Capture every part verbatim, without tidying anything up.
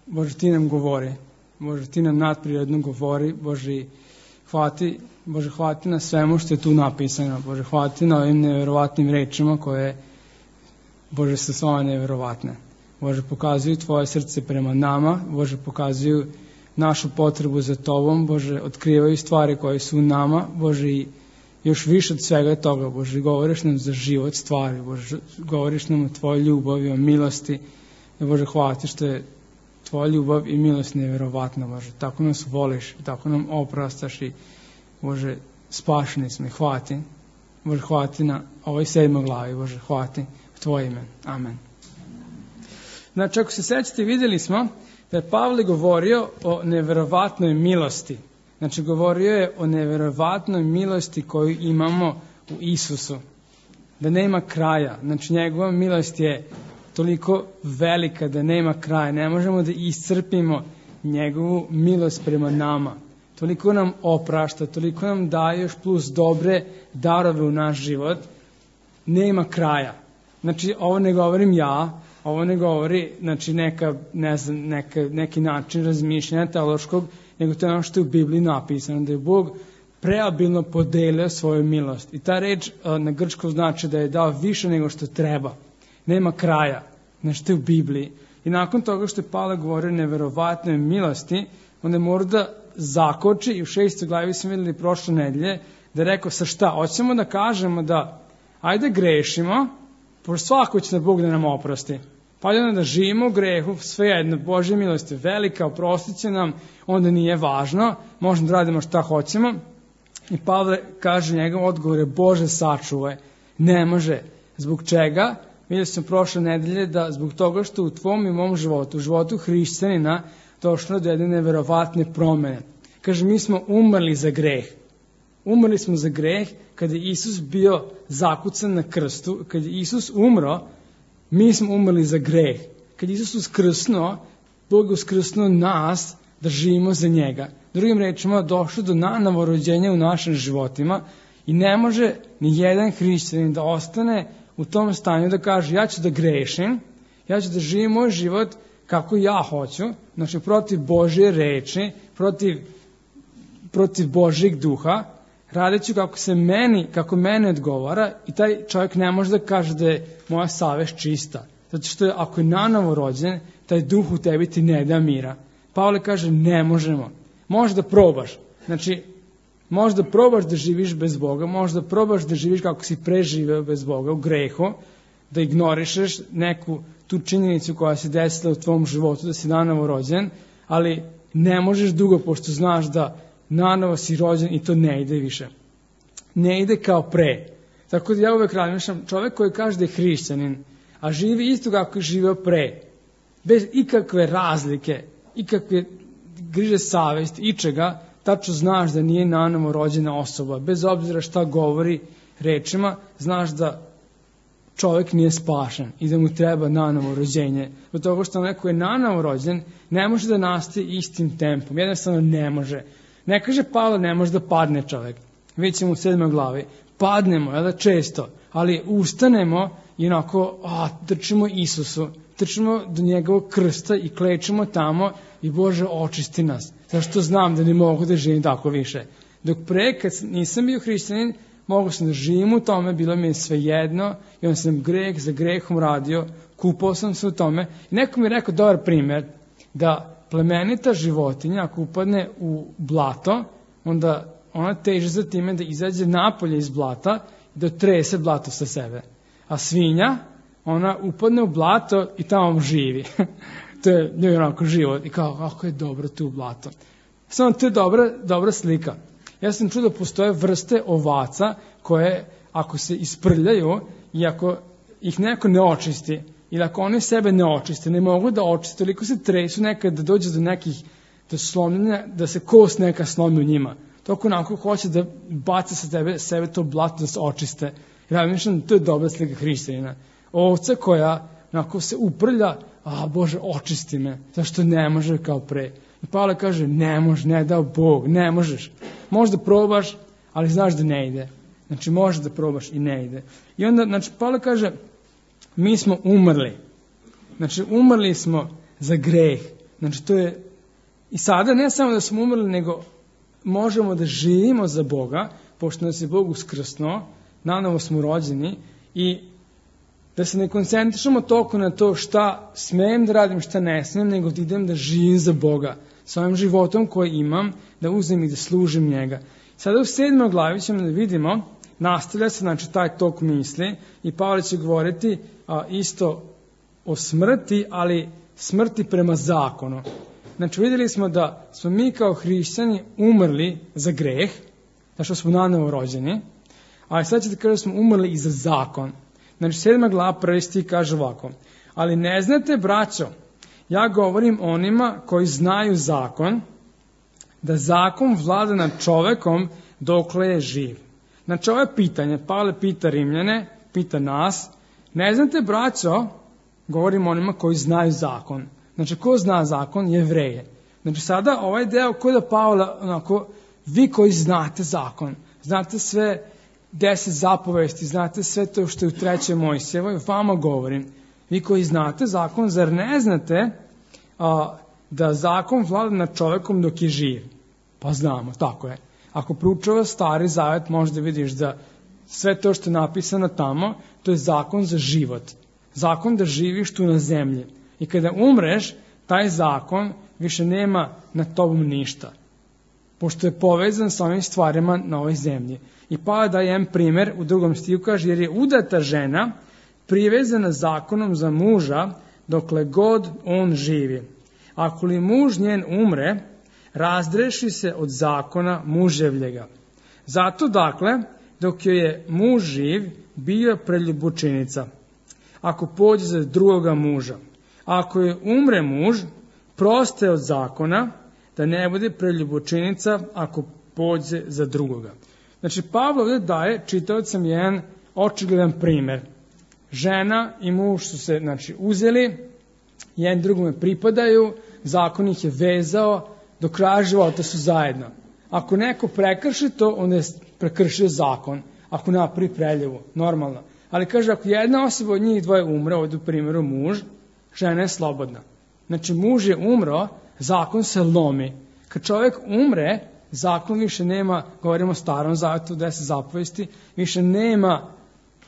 Bože, ti nam govori, Bože, ti nam nadprirodno govori, Bože, hvati, Bože, hvati na svemu što je tu napisano, Bože, hvati na ovim neverovatnim rečima koje, Bože, su svoje neverovatne. Bože, pokazuju tvoje srce prema nama, Bože, pokazuju našu potrebu za tobom, Bože, otkrivaju stvari koje su u nama, Bože, i još više od svega toga, Bože, govoriš nam za život stvari, Bože, govoriš nam o tvojoj ljubavi, o milosti, i Bože, hvati što je tvoja ljubav i milost nevjerovatna, Bože, tako nas voliš, tako nam oprastaš i, Bože, spašeni smo i hvati, Bože, hvati na ovoj sedmoj glavi, Bože, hvati u tvoje ime, amen. Znači, ako se sećate, vidjeli smo da je Pavle govorio o neverovatnoj milosti. Znači, govorio je o neverovatnoj milosti koju imamo u Isusu. Da nema kraja. Znači, njegova milost je toliko velika da nema kraja. Ne možemo da iscrpimo njegovu milost prema nama. Toliko nam oprašta, toliko nam daje još plus dobre darove u naš život. Nema kraja. Znači, ovo ne govorim ja, ovo ne govori, znači, neka, ne znam, neka, neki način razmišljanja teološkog, nego to je ono što je u Bibliji napisano, da je Bog preobilno podelio svoju milost. I ta reč na grčkom znači da je dao više nego što treba. Nema kraja. Znači, to je u Bibliji. I nakon toga što je Pavle govorio o neverovatnoj milosti, onda je mora da zakoči, i u šestoj glavi smo vidjeli prošle nedelje, da je rekao sa šta? Hoćemo da kažemo da ajde grešimo, pošto svako će da Bog da nam oprosti. Pa onda da živimo u grehu, sve jedno, Božja milost je velika, oprostit će nam, onda nije važno, možemo da radimo šta hoćemo. I Pavle kaže, njegov odgovor je, Bože, sačuvaj. Ne može. Zbog čega? Vidjeli smo prošle nedelje da zbog toga što u tvom i mom životu, u životu hrišćanina, došlo do jedne neverovatne promene. Kaže, mi smo umrli za greh. Umrli smo za greh kada je Isus bio zakucan na krstu, kada je Isus umro, mi smo umrli za greh. Kad je Isus uskrsnuo, Bog je uskrsnuo nas da živimo za njega. Drugim rečima, došlo do nanovo rođenja u našim životima i ne može ni jedan hrišćanin da ostane u tom stanju da kaže, ja ću da grešim, ja ću da živim moj život kako ja hoću, znači protiv Božje reči, protiv, protiv Božjeg duha, radeću kako se meni, kako mene odgovara, i taj čovjek ne može da kaže da je moja savest čista. Zato što je, ako je nanovo rođen, taj duh u tebi ti ne da mira. Pavle kaže, ne možemo. Možeš da probaš. Znači, možeš da probaš da živiš bez Boga, možeš da probaš da živiš kako si preživeo bez Boga, u grehu, da ignorišeš neku tu činjenicu koja se desila u tvom životu, da si nanovo rođen, ali ne možeš dugo, pošto znaš da nanovo si rođen i to ne ide više. Ne ide kao pre. Tako da ja uvek razmišljam, čovjek koji kaže da je hrišćanin, a živi isto kako je živeo pre, bez ikakve razlike, ikakve griže savesti, ičega, tačno znaš da nije nanovo rođena osoba. Bez obzira šta govori rečima, znaš da čovjek nije spašen i da mu treba nanovo rođenje. Od toga što neko je nanovo rođen, ne može da nastaje istim tempom. Jednostavno ne može. Ne kaže Pavle, ne može da padne čovjek. Vidjet ćemo u sedmoj glavi. Padnemo, jel da, često, ali ustanemo i onako, a, trčimo Isusu, trčimo do njegovog krsta i klečimo tamo i Bože, očisti nas. Zašto znam da ne mogu da živim tako više. Dok pre, kad nisam bio hrišćanin, mogu sam da živim u tome, bilo mi je sve jedno i on sam greh za grehom radio, kupao sam se u tome. I neko mi je rekao dobar primjer, da plemenita životinja, ako upadne u blato, onda ona teže za time da izađe napolje iz blata i da trese blato sa sebe. A svinja, ona upadne u blato i tamo živi. To je njoj onako život. I kao, kako je dobro tu blato. Samo to je dobra, dobra slika. Ja sam čuo da postoje vrste ovaca koje, ako se isprljaju i ako ih neko ne očisti, ili ako oni sebe ne očiste, ne mogu da očiste, toliko se tresu nekad da dođe do nekih, do slomljenja, da se kost neka slomi u njima. Toliko onako hoće da baca sa tebe, sebe to blato da se očiste. Ja mislim da to je dobra slika hrišćanina. Ovca koja onako se uprlja, a Bože, očisti me, zašto ne može kao pre. I Pavle kaže, ne može, ne dao Bog, ne možeš. Možeš da probaš, ali znaš da ne ide. Znači, možeš da probaš i ne ide. I onda, znači, Pavle kaže, mi smo umrli. Znači, umrli smo za greh. Znači to je, i sada ne samo da smo umrli, nego možemo da živimo za Boga, pošto nas je Bog uskrsnuo, nanovo smo rođeni, i da se ne koncentrišemo toliko na to šta smem da radim, šta ne smem, nego da idem da živim za Boga, sa ovim životom koji imam, da uzem i da služim njega. Sada u sedmoj glavi ćemo da vidimo, nastavlja se, znači, taj tok misli, i Pavle će govoriti a, isto o smrti, ali smrti prema zakonu. Znači, vidjeli smo da smo mi kao hrišćani umrli za greh, da što smo nanovo rođeni, ali sad ćete kaže da smo umrli i za zakon. Znači, sedma glava prvi stih kaže ovako: ali ne znate, braćo, ja govorim onima koji znaju zakon, da zakon vlada nad čovekom dokle je živ. Znači, ovo je pitanje, Pavle pita Rimljane, pita nas, ne znate, braćo, govorim onima koji znaju zakon. Znači, ko zna zakon? Jevreje. Znači, sada ovaj deo kod da Pavle, onako, vi koji znate zakon, znate sve deset zapovesti, znate sve to što je u trećoj Mojsijevoj, vama govorim. Vi koji znate zakon, zar ne znate a, da zakon vlada nad čovekom dok je živ? Pa znamo, tako je. Ako proučava Stari Zavet, možda vidiš da sve to što je napisano tamo, to je zakon za život. Zakon da živiš tu na zemlji. I kada umreš, taj zakon više nema nad tobom ništa, pošto je povezan sa ovim stvarima na ovoj zemlji. I pa da jedan primjer u drugom stihu kaže, jer je udata žena privezana zakonom za muža dokle god on živi. Ako li muž njen umre, razdreši se od zakona muževljega. Zato, dakle, dok joj je muž živ, bio preljubučinica, ako pođe za drugoga muža. Ako je umre muž, proste od zakona, da ne bude preljubučinica ako pođe za drugoga. Znači, Pavle ovdje daje čitaocem jedan očigledan primjer. Žena i muž su se, znači, uzeli, jedan drugome pripadaju, zakon ih je vezao, do kraja života su zajedno. Ako neko prekrši to, onda je prekršio zakon. Ako napravi preljevu, normalno. Ali kaže, ako jedna osoba od njih dvoje umre, ovdje u primjeru muž, žena je slobodna. Znači, muž je umro, zakon se lomi. Kad čovjek umre, zakon više nema, govorimo o starom zavetu, deset zapovesti, više nema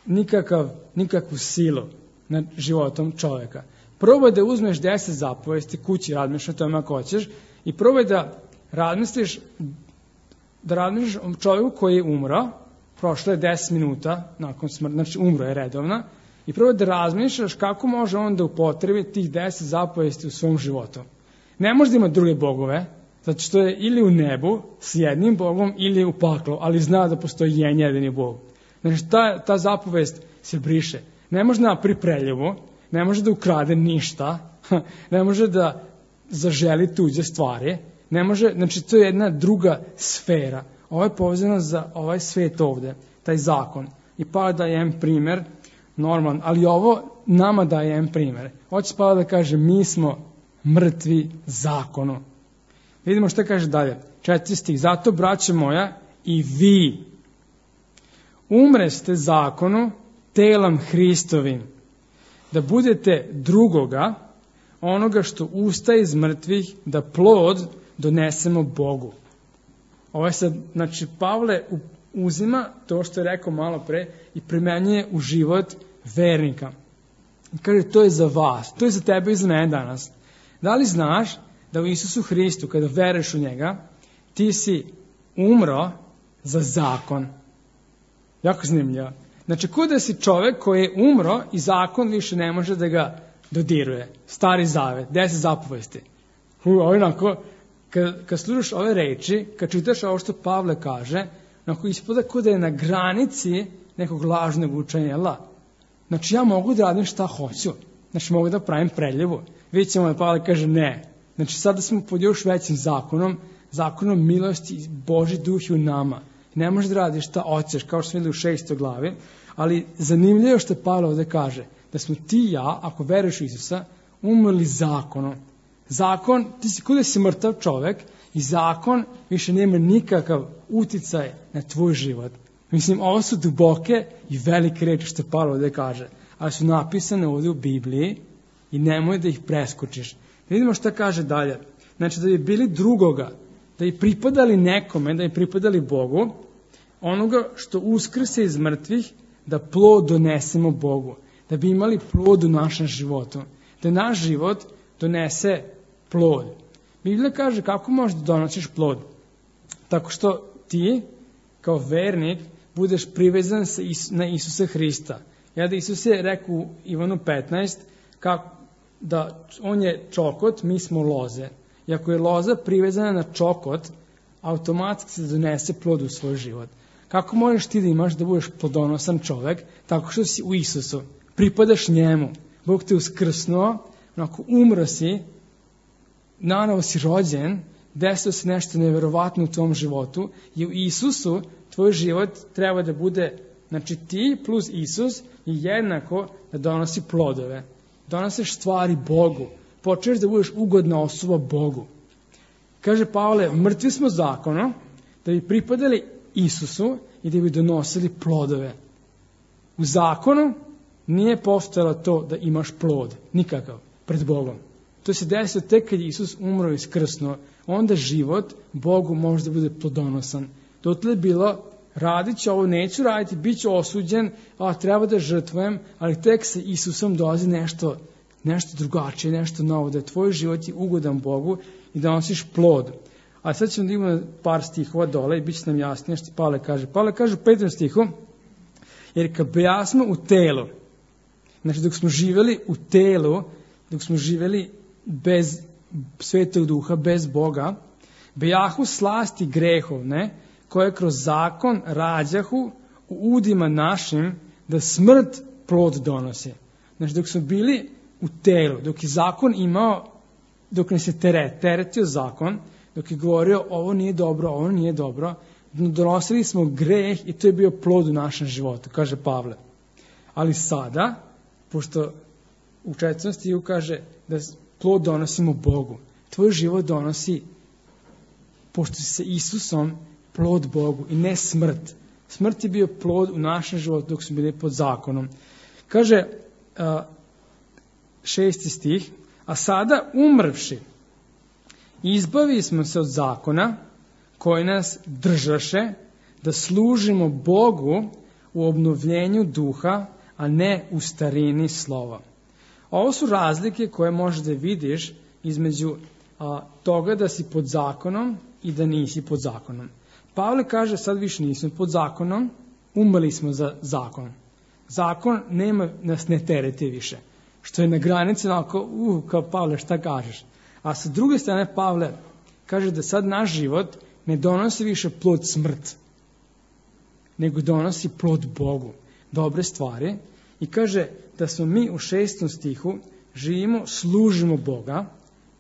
nikakav, nikakvu silu nad životom čovjeka. Probaj da uzmeš deset zapovesti, kući razmišljaš o tome ako hoćeš, i probaj da razmisliš, da razmisliš o čovjeku koji je umro, prošlo je deset minuta nakon smrti, znači umro je redovno, i probaj da razmišljaš kako može on da upotrebi tih deset zapovesti u svom životu. Ne može da ima druge bogove, zato što je ili u nebu s jednim bogom ili u paklu, ali zna da postoji jedan jedini bog. Znači, ta, ta zapovest se briše. Ne može da pripreljivu, ne može da ukrade ništa, ne može da zaželi tuđe stvari, ne može, znači to je jedna druga sfera. Ovo je povezano za ovaj svet ovde, taj zakon. I pa da je jedan primjer, normalan, ali ovo nama daje jedan primjer. Hoće pa da kaže, mi smo mrtvi zakonu. Vidimo što kaže dalje. Četiri stih. Zato, braće moja, i vi umreste zakonu telom Hristovim, da budete drugoga, onoga što ustaje iz mrtvih, da plod donesemo Bogu. Ovo je sad, znači, Pavle uzima to što je rekao malo pre i primenjuje u život vernika. I kaže, to je za vas, to je za tebe i za mene danas. Da li znaš da u Isusu Hristu, kada veruješ u njega, ti si umro za zakon? Jako zanimljivo. Znači, ko da si čovek koji je umro i zakon više ne može da ga dodiruje. Stari zavet, deset zapovesti. Ovo onako, kad, kad slušaš ove reči, kad čitaš ovo što Pavle kaže, onako ispada ko da je na granici nekog lažnog učenja. Znači, ja mogu da radim šta hoću. Znači, mogu da pravim preljevu. Vidjet ćemo da Pavle kaže ne. Znači, sada smo pod još većim zakonom, zakonom milosti, Božji duh je u nama. Ne možeš da radiš šta hoćeš, kao što smo vidjeli u šestoj glavi, ali zanimljivo što Pavle ovdje kaže, da smo ti i ja, ako veruješ u Isusa, umrli zakonom. Zakon, ti si kuda si mrtav čovek i zakon više nema nikakav uticaj na tvoj život. Mislim, ovo su duboke i velike reči što Pavle ovdje kaže, ali su napisane ovdje u Bibliji i nemoj da ih preskočiš. Da vidimo šta kaže dalje. Znači da bi bili drugoga, da bi pripadali nekome, da bi pripadali Bogu, onoga što uskrse iz mrtvih, da plod donesemo Bogu, da bi imali plod u našem životu, da naš život donese plod. Biblija kaže kako možeš da donosiš plod? Tako što ti, kao vernik, budeš privezan na Isusa Hrista. Ja da Isus je rekao u Ivanu petnaest, kako, da on je čokot, mi smo loze. I ako je loza privezana na čokot, automatski se donese plod u svoj život. Kako možeš ti da imaš da budeš plodonosan čovek? Tako što si u Isusu. Pripadaš njemu. Bog te uskrsnuo, onako umro si, nanovo si rođen, desilo se nešto neverovatno u tvom životu i u Isusu tvoj život treba da bude, znači ti plus Isus je jednako da donosi plodove. Donosiš stvari Bogu. Počneš da budeš ugodna osoba Bogu. Kaže Pavle, mrtvi smo zakonom da bi pripadali Isusu i da bi donosili plodove. U zakonu nije postojalo to da imaš plod, nikakav, pred Bogom. To se desilo tek kad je Isus umro i skrsnuo. Onda život Bogu može da bude plodonosan. Dotle je bilo, radit ću ovo, neću raditi, bit ću osuđen, a treba da žrtvujem, ali tek sa Isusom dolazi nešto, nešto drugačije, nešto novo, da je tvoj život je ugodan Bogu i da nosiš plod. A sad ćemo da imamo par stihova dole i bit će nam jasnije što Pavle kaže. Pavle kaže u petom stihu, jer kad bejasmo u telu, znači dok smo živeli u telu, dok smo živeli bez Svetog Duha, bez Boga, bejahu slasti grehovne, koje kroz zakon rađahu u udima našim da smrt plod donosi. Znači dok smo bili u telu, dok je zakon imao, dok nas je teret, teretio zakon, dok je govorio ovo nije dobro, ovo nije dobro, donosili smo greh i to je bio plod u našem životu, kaže Pavle. Ali sada, pošto u četvrtom stihu kaže da plod donosimo Bogu, tvoj život donosi, pošto si sa Isusom, plod Bogu i ne smrt. Smrt je bio plod u našem životu dok smo bili pod zakonom. Kaže a, šesti stih, a sada umrvši, izbavili smo se od zakona koji nas držaše da služimo Bogu u obnovljenju duha, a ne u starini slova. Ovo su razlike koje možeš da vidiš između a, toga da si pod zakonom i da nisi pod zakonom. Pavle kaže sad više nismo pod zakonom, umrli smo za zakon. Zakon nema, nas ne tereti više. Što je na granici onako, uh, kao Pavle šta kažeš. A sa druge strane Pavle kaže da sad naš život ne donosi više plod smrt, nego donosi plod Bogu, dobre stvari. I kaže da smo mi u šestom stihu živimo, služimo Boga.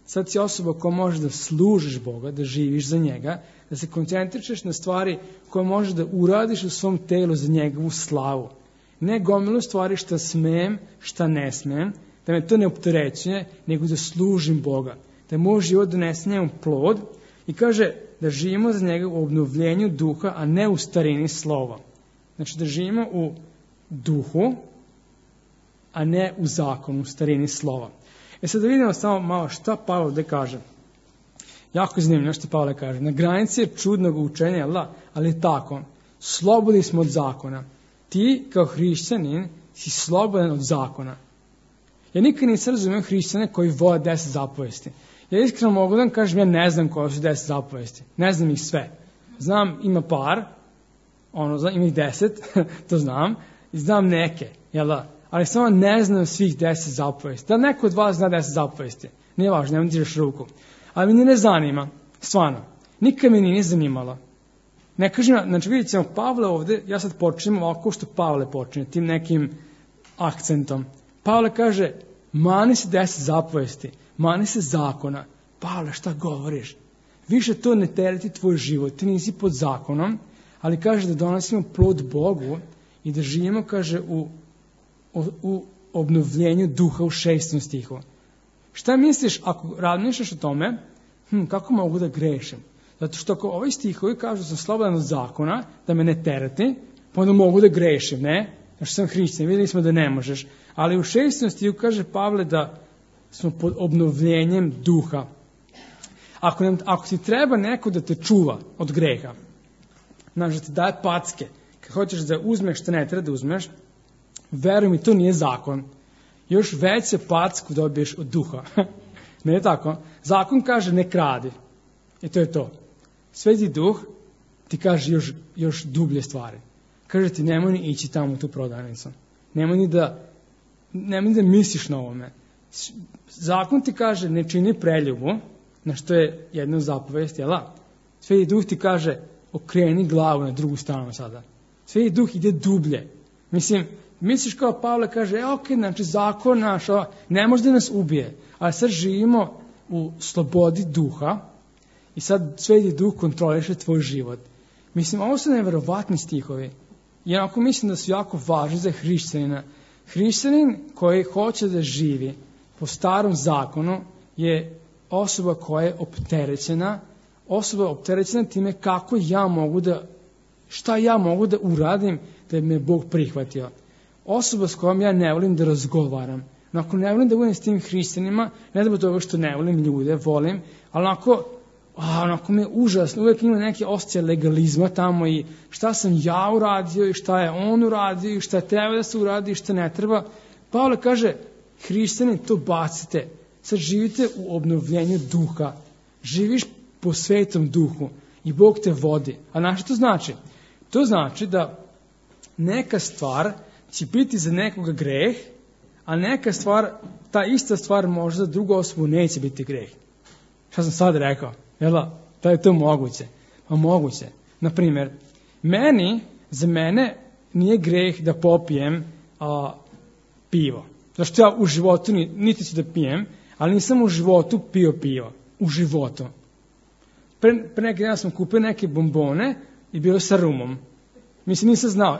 Sad si osoba koja može da služiš Boga, da živiš za njega, da se koncentrišeš na stvari koje možeš da uradiš u svom telu za njegovu slavu. Ne gomilu stvari šta smem, šta ne smem, da me to ne opterećuje, nego da služim Boga. Da moj život donese njemu plod i kaže da živimo za njega u obnovljenju duha, a ne u starini slova. Znači da živimo u duhu, a ne u zakonu, u starini slova. E sad da vidimo samo malo šta Pavle ovdje kaže. Jako zanimljivo što Pavle kaže. Na granici je čudnog učenja, ali je tako. Slobodni smo od zakona. Ti kao hrišćanin si slobodan od zakona. Ja nikad nisam razumio hrišćane koji vole deset zapovesti. Ja iskreno mogu da vam kažem, ja ne znam koje su deset zapovesti. Ne znam ih sve. Znam, ima par, ono, znam, ima ih deset, to znam, i znam neke, jel da? Ali samo ne znam svih deset zapovesti. Da neko od vas zna deset zapovesti? Nije važno, nemoj dižeš ruku. Ali mi ne zanima, stvarno. Nikad mi nije zanimalo. Ne kažem, znači vidjet ćemo Pavle ovdje, ja sad počnem ovako što Pavle počne, tim nekim akcentom. Pavle kaže, mani se deset zapovesti, mani se zakona. Pavle, šta govoriš? Više to ne tereti tvoj život, ti nisi pod zakonom, ali kaže da donosimo plod Bogu i da živimo, kaže, u, u, u obnovljenju duha u šestom stihu. Šta misliš ako razmišljaš o tome, hm, kako mogu da grešim? Zato što ako ovi stihovi kažu da sam slobodan od zakona, da me ne tereti, pa onda mogu da grešim, ne? Znači sam hrišćan, vidjeli smo da ne možeš. Ali u šestom stihu kaže Pavle da smo pod obnovljenjem duha. Ako, nam, ako ti treba neko da te čuva od greha, znaš, da ti daje packe, kad hoćeš da uzmeš što ne treba da uzmeš, veruj mi, to nije zakon. Još veće packu dobiješ od duha. Ne je tako? Zakon kaže ne kradi. I to je to. Sveti duh ti kaže još, još dublje stvari. Kaže ti nemoj ni ići tamo u tu prodavnicu. Nemoj ni da, nemoj ni da misliš na ovome. Zakon ti kaže ne čini preljubu, na što je jedna zapovest, jel da? Sveti duh ti kaže okreni glavu na drugu stranu sada. Sveti duh ide dublje. Mislim, misliš kao Pavle kaže, e, ok, znači zakon naš, ne može da nas ubije, ali sad živimo u slobodi duha i sad Sveti duh kontroliše tvoj život. Mislim, ovo su neverovatni stihovi. I onako mislim da su jako važni za hrišćanina. Hrišćanin koji hoće da živi po starom zakonu je osoba koja je opterećena, osoba opterećena time kako ja mogu da, šta ja mogu da uradim da me Bog prihvatio. Osoba s kojom ja ne volim da razgovaram. Onako ne volim da budem s tim hrišćanima, ne da toga što ne volim ljude, volim, ali onako, a, onako mi je užasno, uvijek ima neke osjećaje legalizma tamo i šta sam ja uradio i šta je on uradio i šta treba da se uradi i šta ne treba. Pavle kaže, hrišćani, to bacite. Sad živite u obnovljenju duha. Živiš po svetom duhu i Bog te vodi. A znaš što to znači? To znači da neka stvar će biti za nekoga greh, a neka stvar, ta ista stvar možda za drugu osobu neće biti greh. Šta sam sad rekao? Jel da? Da je to moguće? Pa moguće. Naprimjer, meni, za mene nije greh da popijem a, pivo. Zašto ja u životu niti ću da pijem, ali nisam u životu pio pivo. U životu. Pre, pre neki dan sam kupio neke bombone i bilo sa rumom. Mislim, nisam znao,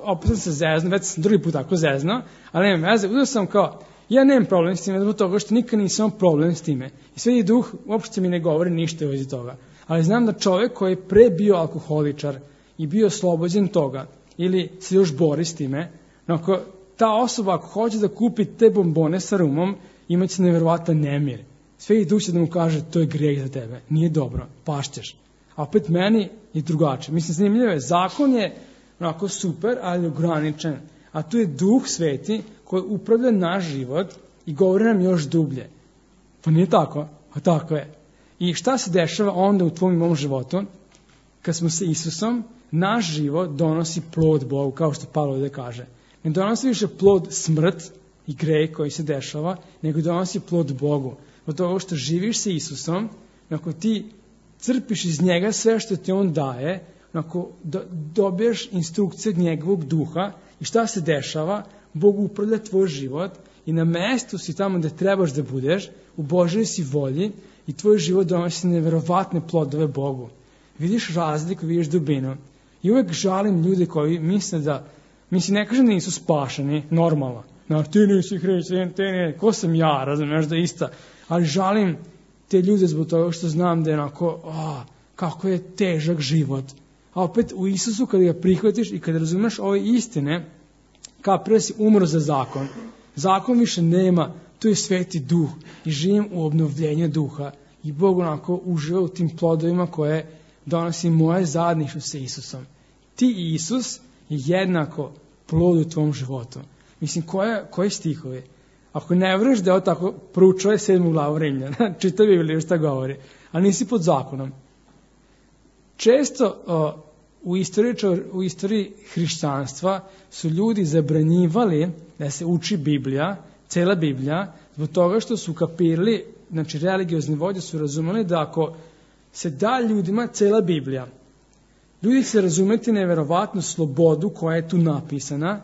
opet sam se zezno, već sam drugi put tako zezno, ali nemam veze, uzeo sam kao, ja nemam problem s time, zbog toga što nikad nisam problem s time. I Sveti duh uopšte mi ne govori ništa u vezi toga. Ali znam da čovjek koji je pre bio alkoholičar i bio oslobođen toga, ili se još bori s time, ako ta osoba ako hoće da kupi te bombone sa rumom, imaće nevjerovatan nemir. Sveti duh će da mu kaže, to je greh za tebe, nije dobro, pašćeš. A opet meni je drugačije. Mislim, zanimljivo je, zakon je onako super, ali ograničen. A tu je Duh Sveti koji upravlja naš život i govori nam još dublje. Pa nije tako? A tako je. I šta se dešava onda u tvom i mom životu? Kad smo sa Isusom, naš život donosi plod Bogu, kao što Pavle ovdje kaže. Ne donosi više plod smrt i greh koji se dešava, nego donosi plod Bogu. Od toga što živiš sa Isusom, ako ti crpiš iz njega sve što ti on daje, ako do, dobiješ instrukcije od njegovog duha i šta se dešava, Bog upravlja tvoj život i na mestu si tamo gde trebaš da budeš, u Božoj si volji i tvoj život donosi neverovatne plodove Bogu. Vidiš razliku, vidiš dubinu. I uvek žalim ljude koji misle da, mislim, ne kažem da nisu spašeni, normalno. No, ti nisi hrišćanin, ti ne, ko sam ja, razumeš da je ista. Ali žalim te ljude zbog toga što znam da je onako, a, kako je težak život. A opet u Isusu kada ga prihvatiš i kada razumeš ove istine, kao prvo si umro za zakon. Zakon više nema, to je Sveti duh i živim u obnovljenju duha. I Bog onako uživa u tim plodovima koje donosi moje zajedništvo sa Isusom. Ti i Isus je jednako plod u tvom životu. Mislim, koje, koje stihovi? Ako ne vreš da je tako, proučuje sedmu glavu Rimljana, čita Bibliju šta govori, a nisi pod zakonom. Često uh, u, istoriji, u istoriji hrišćanstva su ljudi zabranjivali da se uči Biblija, cela Biblija, zbog toga što su kapirali, znači religiozni vođe su razumeli da ako se da ljudima cela Biblija, ljudi će razumeti neverovatnu slobodu koja je tu napisana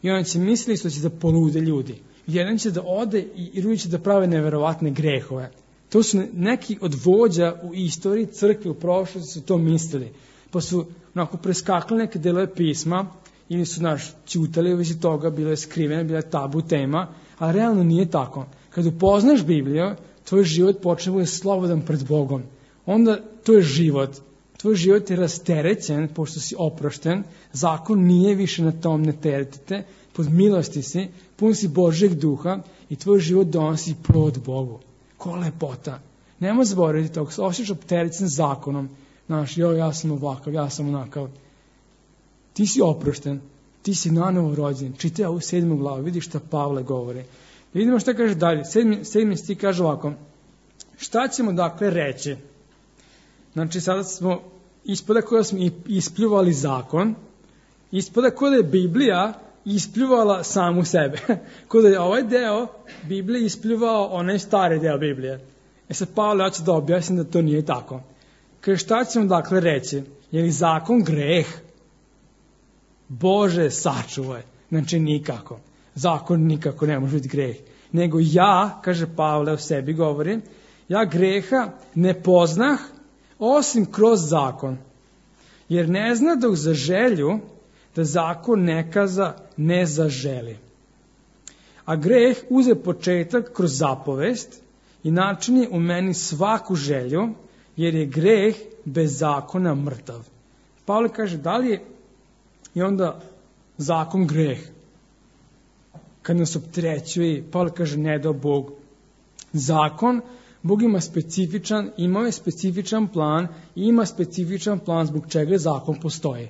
i oni će misliti što će da polude ljudi. Jedan će da ode i drugi će da prave neverovatne grehove. To su neki od vođa u istoriji crkve u prošlosti su to mislili. Pa su onako preskakali neke delove pisma ili su naš ćutali u vezi toga, bilo je skrivene, bila je tabu tema, a realno nije tako. Kad upoznaš Bibliju, tvoj život počne bude slobodan pred Bogom. Onda to je život. Tvoj život je rasterećen, pošto si oprošten, zakon nije više na tom, ne teretite, pod milosti si, pun si Božjeg duha i tvoj život donosi plod Bogu. Ko lepota. Nemoj zaboraviti to, ako se osjećaš opterećen zakonom, znaš, jo, ja sam ovakav, ja sam onakav, ti si oprošten, ti si nanovo rođen, čitaj ovu sedmu glavu, vidi šta Pavle govori. Da vidimo šta kaže dalje, sedmi, sedmi stih kaže ovako, šta ćemo dakle reći? Znači, sada smo, ispada koja smo ispljuvali zakon, ispada koja je Biblija ispljuvala samu sebe. Kada je ovaj deo Biblije ispljuvao onaj stari deo Biblije. E sad Pavle hoće da objasnim da to nije tako. Kaže, šta ćemo dakle reći? Je li zakon greh? Bože, sačuvaj. Znači nikako. Zakon nikako ne može biti greh. Nego ja, kaže Pavle o sebi govori, ja greha ne poznah osim kroz zakon. Jer ne zna dok za želju da zakon nekaza ne zaželi. A greh uze početak kroz zapovest i načini u meni svaku želju, jer je greh bez zakona mrtav. Pavle kaže, da li je i onda zakon greh? Kad nas opterećuje, Pavle kaže, ne dao Bog. Zakon, Bog ima specifičan, imao je specifičan plan i ima specifičan plan zbog čega zakon postoji.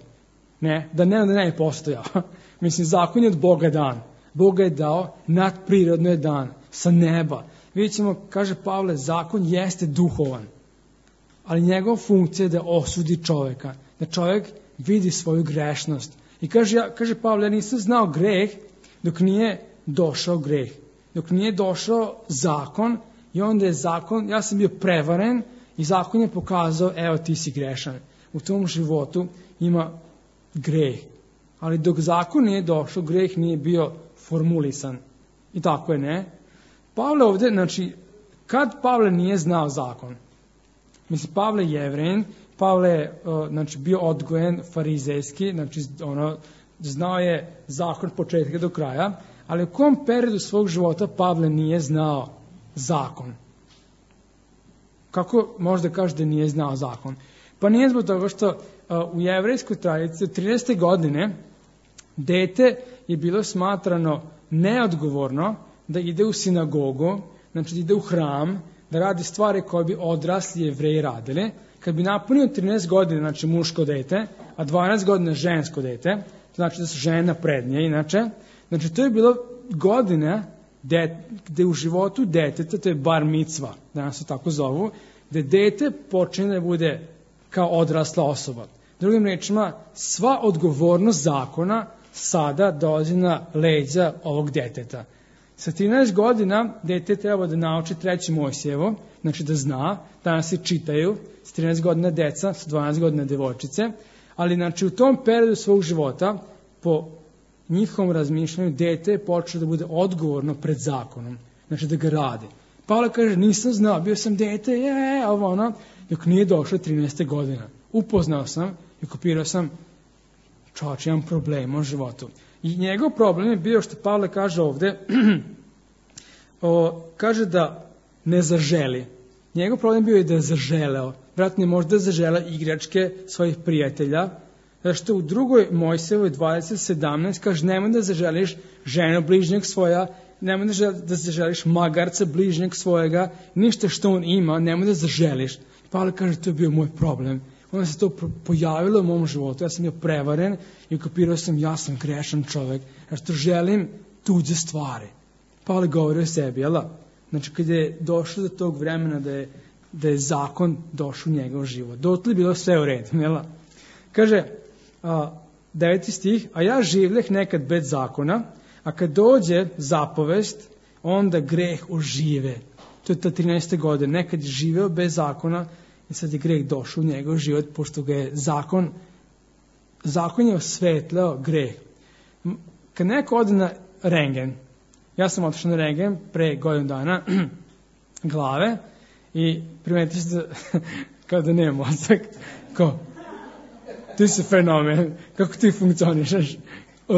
Ne, da ne, da ne je postojao. Mislim, zakon je od Boga dan. Boga je dao, nadprirodno je dan, sa neba. Vidjet ćemo, kaže Pavle, zakon jeste duhovan, ali njegova funkcija je da osudi čoveka, da čovek vidi svoju grešnost. I kaže, ja, kaže Pavle, ja nisam znao greh dok nije došao greh, dok nije došao zakon i onda je zakon, ja sam bio prevaren i zakon je pokazao, evo ti si grešan. U tom životu ima greh. Ali dok zakon nije došao, greh nije bio formulisan. I tako je, ne? Pavle ovde, znači, kad Pavle nije znao zakon? Mislim, Pavle je Jevrein, Pavle je uh, znači, bio odgojen farizejski, znači, ono, znao je zakon od početka do kraja, ali u kom periodu svog života Pavle nije znao zakon? Kako možda kaže da nije znao zakon? Pa nije zbog toga što uh, u jevrejskoj tradiciji od trinaeste godine dete je bilo smatrano neodgovorno da ide u sinagogu, znači da ide u hram, da radi stvari koje bi odrasli Jevreji radili. Kad bi napunio trinaest godina, znači muško dete, a dvanaest godina žensko dete, znači da su žene naprednije, inače, znači to je bilo godina de, gde u životu deteta, to je bar micva, danas se tako zovu, gde dete počne da bude kao odrasla osoba. Drugim rečima, sva odgovornost zakona sada dolazi na leđa ovog deteta. Sa trinaest godina dete treba da nauči treće Mojsijevo, znači da zna, danas se čitaju, sa trinaest godina deca, sa dvanaest godina devojčice, ali znači u tom periodu svog života, po njihovom razmišljanju, dete je počeo da bude odgovorno pred zakonom, znači da ga radi. Pavle kaže, nisam znao, bio sam dete, je, ovo ono, dok nije došlo trinaeste godina. Upoznao sam i kopirao sam, čovječ, imam problema u životu. I njegov problem je bio što Pavle kaže ovde, o, kaže da ne zaželi. Njegov problem bio je da je zaželeo. Vratno je možda zaželeo igračke svojih prijatelja, što u drugoj Mojsijevoj dvadeset sedamnaest kaže, nemoj da zaželiš ženu bližnjeg svoja, nemoj da zaželiš magarca bližnjeg svojega, ništa što on ima, nemoj da zaželiš. Pavle kaže, to je bio moj problem. Onda se to pojavilo u mom životu, ja sam bio prevaren i kopirao sam, ja sam grešan čovek, jer što želim tuđe stvari. Pavle govori o sebi, jel da? Znači, kada je došlo do tog vremena da je, da je zakon došao u njegov život, dotle je bilo sve u redu, jel da? Kaže, a, deveti stih, a ja življeh nekad bez zakona, a kad dođe zapovest, onda greh ožive. To je ta trinaeste godine, nekad je živeo bez zakona, i sad je greh došao u njegov život, pošto ga je zakon, zakon je osvetleo greh. Kad neko ode na rengen, ja sam otišao na rengen pre godinu dana glave i primetio se da, kao da nema mozak, kao, ti si fenomen, kako ti funkcionišeš? Uh,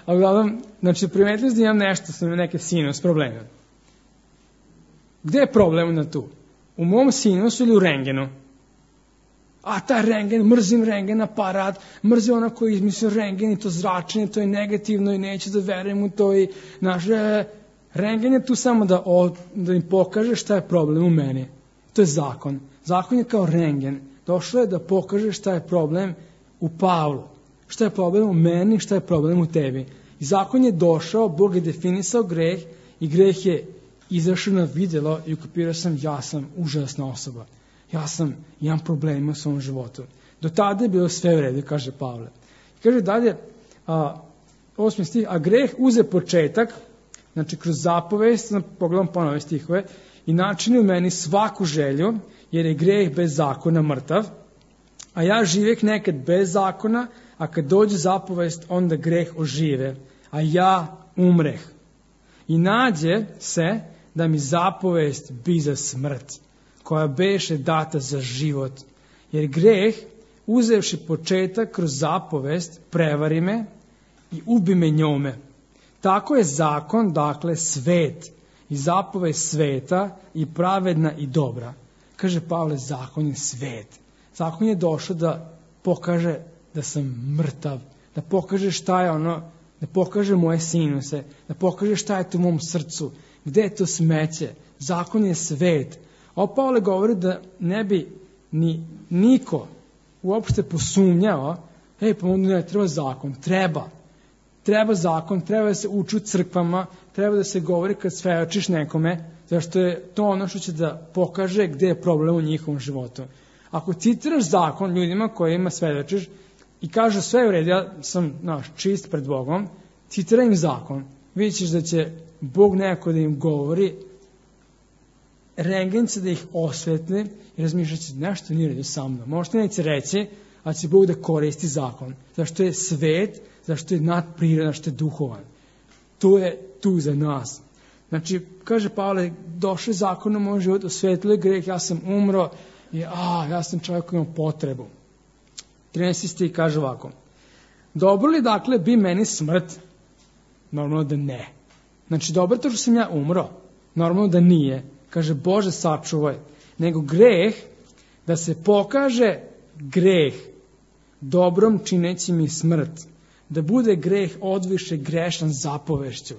a uglavnom, znači primetio se da imam nešto, sam imam neke sinus probleme. Gde je problem na tu? U mom sinusu ili u rengenu? A ta rengen, mrzim rengen aparat, mrzim ona koji izmislio rengen i to zračenje, to je negativno i neće da verujem u to i naše, Rentgen je tu samo da, o, da im pokaže šta je problem u meni. To je zakon. Zakon je kao rentgen. Došlo je da pokaže šta je problem u Pavlu. Šta je problem u meni, šta je problem u tebi. I zakon je došao, Bog je definisao greh i greh je izašao na vidjelo i ukapirao sam, ja sam užasna osoba. Ja sam, imam problema u svom životu. Do tada je bilo sve u redu, kaže Pavle. I kaže dalje, a, osmi stih, a greh uze početak, znači kroz zapovest, pogledam ponovo stihove, i načini u meni svaku želju, jer je greh bez zakona mrtav, a ja živjeh nekad bez zakona, a kad dođe zapovest, onda greh ožive, a ja umreh. I nađe se da mi zapovest bi za smrt, koja beše data za život, jer greh, uzevši početak kroz zapovest, prevari me i ubi me njome. Tako je zakon, dakle, svet i zapovest sveta i pravedna i dobra. Kaže Pavle, zakon je svet. Zakon je došao da pokaže da sam mrtav, da pokaže šta je ono, da pokaže moje sinuse, da pokaže šta je to u mom srcu, gde je to smeće. Zakon je svet. A Pavle govori da ne bi ni niko uopšte posumnjao, ej, pa onda ne treba zakon, treba. Treba zakon, treba da se uči u crkvama, treba da se govori kad svedočiš nekome, zašto je to ono što će da pokaže gde je problem u njihovom životu. Ako citiraš zakon ljudima kojima svedočiš i kažu sve u redu, ja sam naš, čist pred Bogom, citiraj im zakon, vidjet ćeš da će Bog nekako da im govori, rentgen će da ih osvetli i razmišljat će nešto nije u redu sa mnom. Možda neće reći, ali će Bog da koristi zakon. Zašto je svet, zašto je nadprirodan, zašto je duhovan. To je tu za nas. Znači, kaže Pavle, došli zakon u moj život, osvetlio je greh, ja sam umro i a, ja sam čovjek koji ima potrebu. trinaesti stih kaže ovako. Dobro li dakle bi meni smrt? Normalno da ne. Znači, dobro to što sam ja umro? Normalno da nije. Kaže, Bože sačuvaj. Nego greh, da se pokaže greh dobrom čineći mi smrt. Da bude greh odviše grešan zapovešću.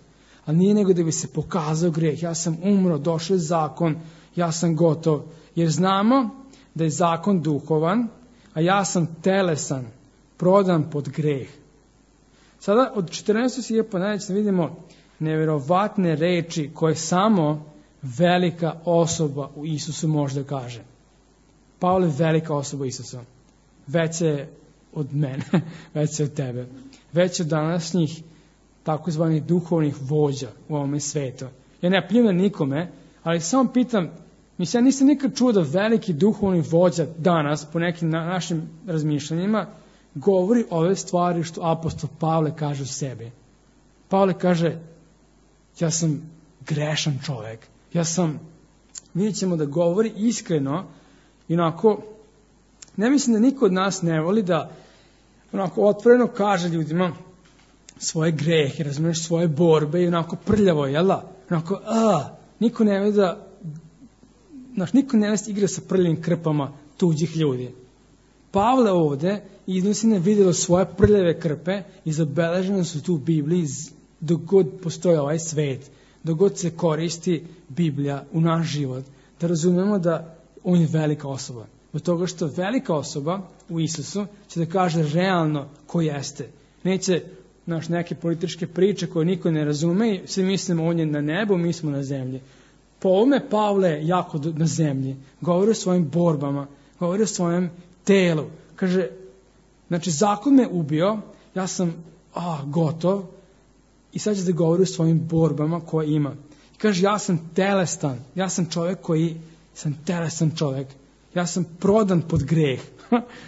Ali nije nego da bi se pokazao greh. Ja sam umro, došao je zakon, ja sam gotov. Jer znamo da je zakon duhovan, a ja sam telesan, prodan pod greh. Sada od četrnaestog stiha pa nadalje vidimo nevjerovatne reči koje samo velika osoba u Isusu može da kaže. Pavle je velika osoba u Isusu. Veća je od mene, veća je od tebe. Veća od današnjih takozvanih duhovnih vođa u ovome svetu. Ja ne pljuvam nikome, ali samo pitam, mislim, ja nisam nikad čuo da veliki duhovni vođa danas, po nekim na, našim razmišljanjima, govori ove stvari što apostol Pavle kaže u sebi. Pavle kaže, ja sam grešan čovjek. Ja sam, vidjet ćemo da govori iskreno i onako, ne mislim da niko od nas ne voli da onako otvoreno kaže ljudima svoje grehe, razumiješ, svoje borbe i onako prljavo, jel da? Onako, a, niko ne voli da, znaš, niko ne voli da igra sa prljavim krpama tuđih ljudi. Pavle ovde iznosi na vidjelo svoje prljave krpe i zabeležene su tu u Bibliji dok god postoji ovaj svet, dok god se koristi Biblija u naš život, da razumemo da on je velika osoba. Od toga što velika osoba u Isusu će da kaže realno ko jeste. Neće naš neke političke priče koje niko ne razume i svi mislimo on je na nebu, mi smo na zemlji. Po ovome Pavle je jako na zemlji. Govori o svojim borbama, govori o svojem telu. Kaže, znači zakon me ubio, ja sam a, gotov i sad će da govori o svojim borbama koje ima. I kaže, ja sam telestan, ja sam čovjek koji sam telesan čovjek. Ja sam prodan pod greh.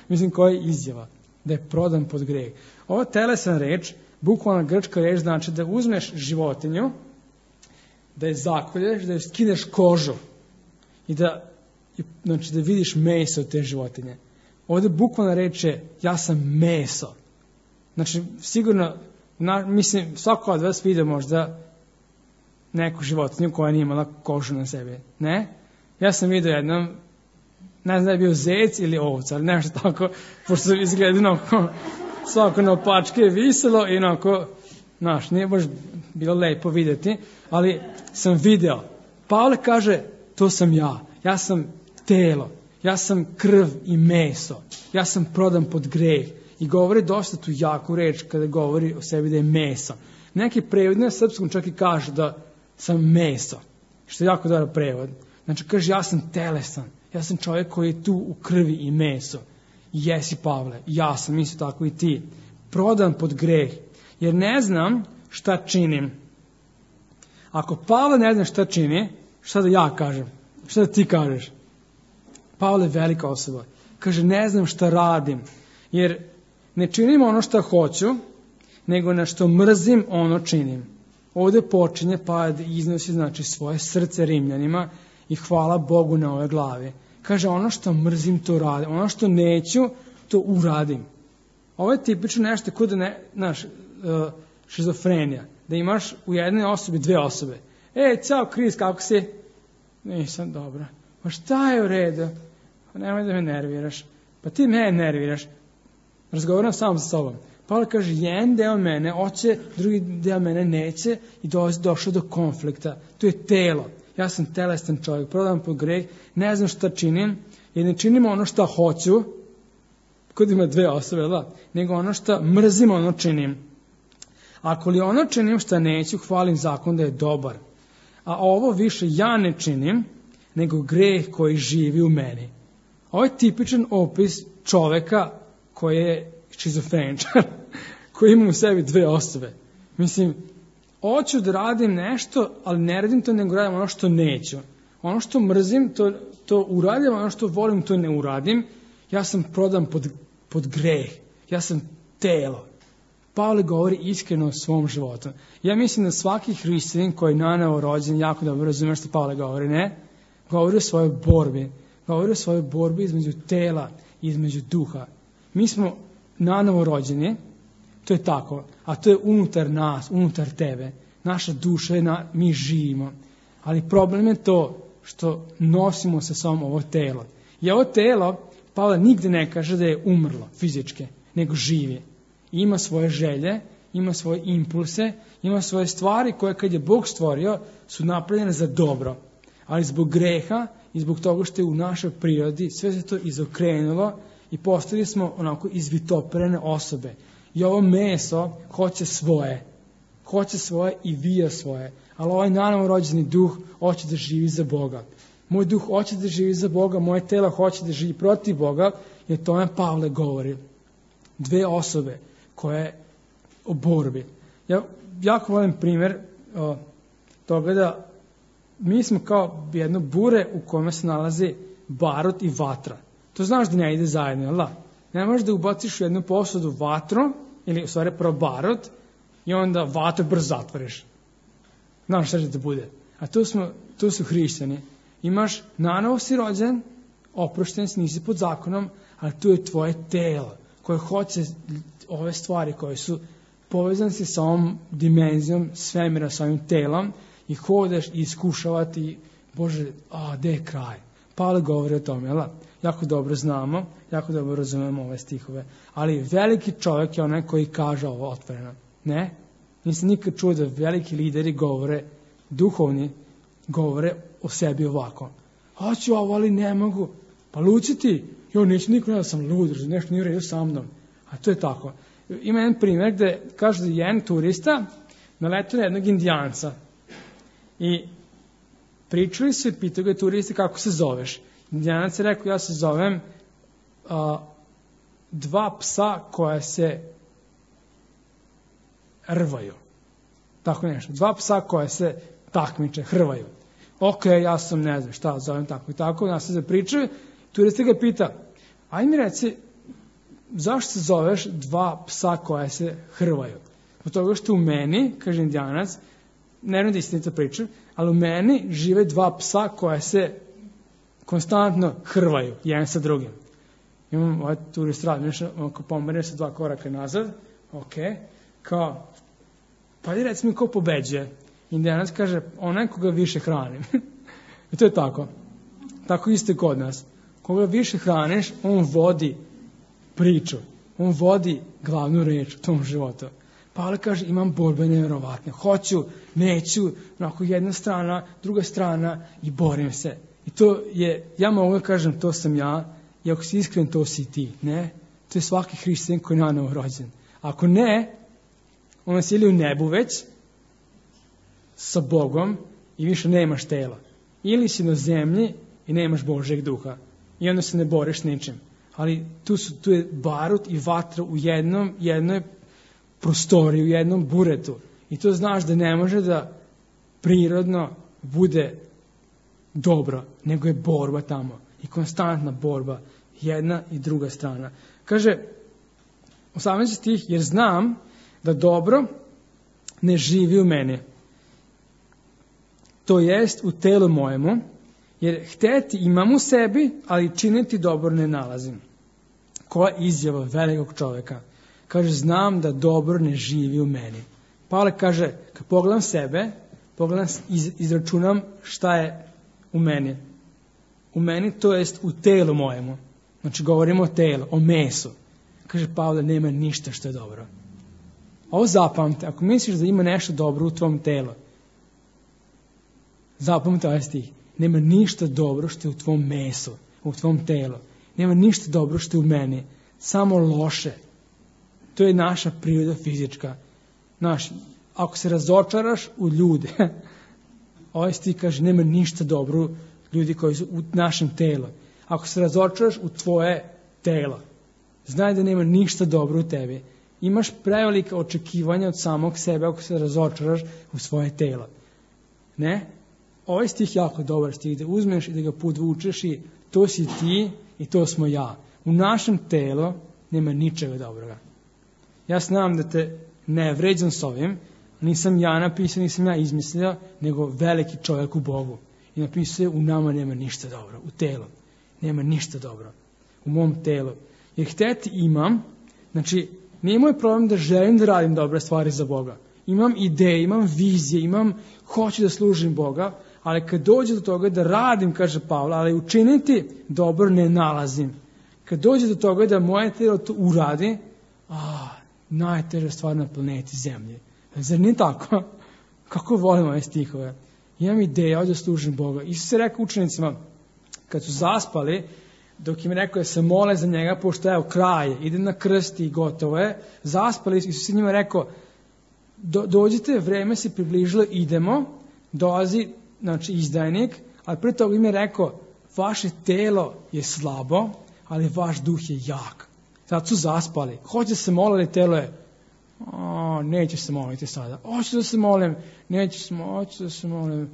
Mislim, koja je izjava? Da je prodan pod greh. Ova telesan reč, bukvalna grčka reč, znači da uzmeš životinju, da je zakolješ, da je skineš kožu i da, znači, da vidiš meso od te životinje. Ovdje bukvalna reč je, ja sam meso. Znači, sigurno, na, mislim, svako od vas vidio možda neku životinju koja nije imala kožu na sebi. Ne? Ja sam vidio jednom, ne znam da je bio zec ili ovca, ali nešto tako, pošto izgleda onako, svako na opačke je viselo i onako Znaš, nije baš bilo lepo vidjeti, ali sam video. Pavle kaže, to sam ja. Ja sam telo. Ja sam krv i meso. Ja sam prodan pod greh. I govori dosta tu jaku reč kada govori o sebi da je meso. Neki prevod na srpskom čak i kaže da sam meso. Što je jako dobar prevod. Znači kaže, ja sam telesan. Ja sam čovjek koji je tu u krvi i meso. I jesi, Pavle. Ja sam isto tako i ti. Prodan pod greh. Jer ne znam šta činim. Ako Pavle ne zna šta čini, šta da ja kažem? Šta da ti kažeš? Pavle je velika osoba. Kaže, ne znam šta radim. Jer ne činim ono šta hoću, nego na što mrzim ono činim. Ovdje počinje pa da iznosi znači svoje srce Rimljanima i hvala Bogu na ove glave. Kaže, ono što mrzim to radim. Ono što neću, to uradim. Ovo je tipično nešto kod ne, znaš, šizofrenija. Da imaš u jednoj osobi dve osobe. E, cao Kris, kako si? Nisam dobro. Pa šta je u redu? Pa nemoj da me nerviraš. Pa ti me nerviraš. Razgovaram sam sa sobom. Pavle kaže, jedan deo mene hoće, drugi deo mene neće i došlo do konflikta. To je telo. Ja sam telestan čovjek, prodan pod greh, ne znam šta činim, jer ne činim ono šta hoću, kod ima dve osobe, da, nego ono šta mrzim, ono činim. Ako li ono činim šta neću, hvalim zakon da je dobar. A ovo više ja ne činim, nego greh koji živi u meni. Ovo je tipičan opis čoveka koji je šizofreničar, koji ima u sebi dve osobe. Mislim, hoću da radim nešto, ali ne radim to, nego radim ono što neću. Ono što mrzim, to, to uradim, ono što volim, to ne uradim. Ja sam prodan pod, pod greh. Ja sam telo. Pavle govori iskreno o svom životu. Ja mislim da svaki hrišćanin koji je nanovo rođen jako dobro razume što Pavle govori, ne? Govori o svojoj borbi. Govori o svojoj borbi između tela i između duha. Mi smo nanovo rođeni, to je tako, a to je unutar nas, unutar tebe. Naša duša je, na, mi živimo. Ali problem je to što nosimo sa sobom ovo telo. I ovo telo, Pavle nigde ne kaže da je umrlo fizički, nego živi. I ima svoje želje, ima svoje impulse, ima svoje stvari koje kad je Bog stvorio su napravljene za dobro. Ali zbog greha i zbog toga što je u našoj prirodi sve se to izokrenulo i postali smo onako izvitoperene osobe. I ovo meso hoće svoje. Hoće svoje i vija svoje. Ali ovaj nanovo rođeni duh hoće da živi za Boga. Moj duh hoće da živi za Boga, moje telo hoće da živi protiv Boga, jer tome Pavle govori. Dve osobe koje o borbi. Ja jako volim primjer o, toga da mi smo kao jedno bure u kome se nalazi barut i vatra. To znaš da ne ide zajedno, jel da? Ne možeš da ubaciš u jednu posudu vatru, ili u stvari prvo barut, i onda vatru brzo zatvoriš. Znaš šta će da bude. A tu, smo, tu su hrišćani. Imaš, nanovo si rođen, oprošten si, nisi pod zakonom, ali tu je tvoje telo, koje hoće ove stvari koje su povezane si sa ovom dimenzijom svemira, sa ovim telom, i hodeš i iskušavati, Bože, a, gde je kraj? Pavle govori o tome, jel? Jako dobro znamo, jako dobro razumemo ove stihove. Ali veliki čovjek je onaj koji kaže ovo otvoreno. Ne? Nisam nikad čuo da veliki lideri govore, duhovni, govore o sebi ovako. Hoću ovo, ali ne mogu. Pa luci ti. Jo, neću niko ne da sam lud, nešto nije u redu sa mnom. A to je tako. Ima jedan primjer gde kaže da je jedan turista naletio na jednog indijanca. I pričali su i pitao ga turiste kako se zoveš. Indijanac je rekao, ja se zovem a, dva psa koja se rvaju. Tako nešto. Dva psa koja se takmiče, hrvaju. Ok, ja sam ne znam šta zovem tako i tako. Nas se zapričaju. Turista ga pita, aj mi reci, zašto se zoveš dva psa koja se hrvaju? Od toga što u meni, kaže Indijanac, ne znam da istinito pričam, ali u meni žive dva psa koja se konstantno hrvaju, jedan sa drugim. Imam ovaj turist rad, ako pomerne se dva koraka nazad, ok, kao, pa i reci mi ko pobeđuje. Indijanac kaže, onaj koga više hranim. I to je tako. Tako isto je kod nas. Koga više hraniš, on vodi priču. On vodi glavnu reč u tom životu. Pavle kaže, imam borbe nevjerovatne. Hoću, neću, onako jedna strana, druga strana i borim se. I to je, ja mogu da kažem, to sam ja, i ako si iskren, to si ti. Ne, to je svaki hrišćanin koji je nanovo rođen. Ako ne, on nas ili u nebu već, sa Bogom, i više nemaš tela. Ili si na zemlji i nemaš Božeg duha. I onda se ne boriš s ničim. Ali tu, su, tu je barut i vatra u jednom, jednoj prostoriji, u jednom buretu. I to znaš da ne može da prirodno bude dobro, nego je borba tamo. I konstantna borba, jedna i druga strana. Kaže, osamnaesti stih, jer znam da dobro ne živi u meni. To jest u telu mojemu, jer hteti imam u sebi, ali činiti dobro ne nalazim. Koja izjava velikog čoveka? Kaže, znam da dobro ne živi u meni. Pavle kaže, kad pogledam sebe, pogledam, iz, izračunam šta je u meni. U meni, to jest u telu mojemu. Znači, govorimo o telu, o mesu. Kaže, Pavle, nema ništa što je dobro. Ovo zapamte, ako misliš da ima nešto dobro u tvom telu, zapamte ovaj stih. Nema ništa dobro što je u tvom mesu, u tvom telu. Nema ništa dobro što je u meni. Samo loše. To je naša priroda fizička. Naš, ako se razočaraš u ljude, ovaj stih kaže, nema ništa dobro ljudi koji su u našem telu. Ako se razočaraš u tvoje telo, znaj da nema ništa dobro u tebi. Imaš prevelike očekivanja od samog sebe ako se razočaraš u svoje telo. Ne? Ovaj stih je jako dobar stih, da uzmeš i da ga podvučeš i to si ti i to smo ja. U našem telu nema ničega dobroga. Ja znam da te ne vređam s ovim, nisam ja napisao, nisam ja izmislio, nego veliki čovjek u Bogu. I napisao je, u nama nema ništa dobro, u telu. Nema ništa dobro, u mom telu. Jer hteti imam, znači nije moj problem da želim da radim dobre stvari za Boga. Imam ideje, imam vizije, imam, hoću da služim Boga, ali kad dođe do toga da radim, kaže Pavle, ali učiniti dobro ne nalazim. Kad dođe do toga da moje telo to uradi, a, najteža stvar na planeti Zemlje. Zar nije tako? Kako volim ove stihove? Imam ideje, hoću da služim Boga. Isus je rekao učenicima, kad su zaspali, dok im rekao da se mole za njega, pošto evo kraj, ide na krst i gotovo je, zaspali, Isus je njima rekao, do, dođite, vreme se približilo, idemo, dolazi, znači izdajnik, ali prije toga im je rekao, vaše telo je slabo, ali vaš duh je jak. Sad su zaspali. Hoće se moliti, telo je, o, neće se moliti sada. Hoću da se molim, neću se, hoću da se molim.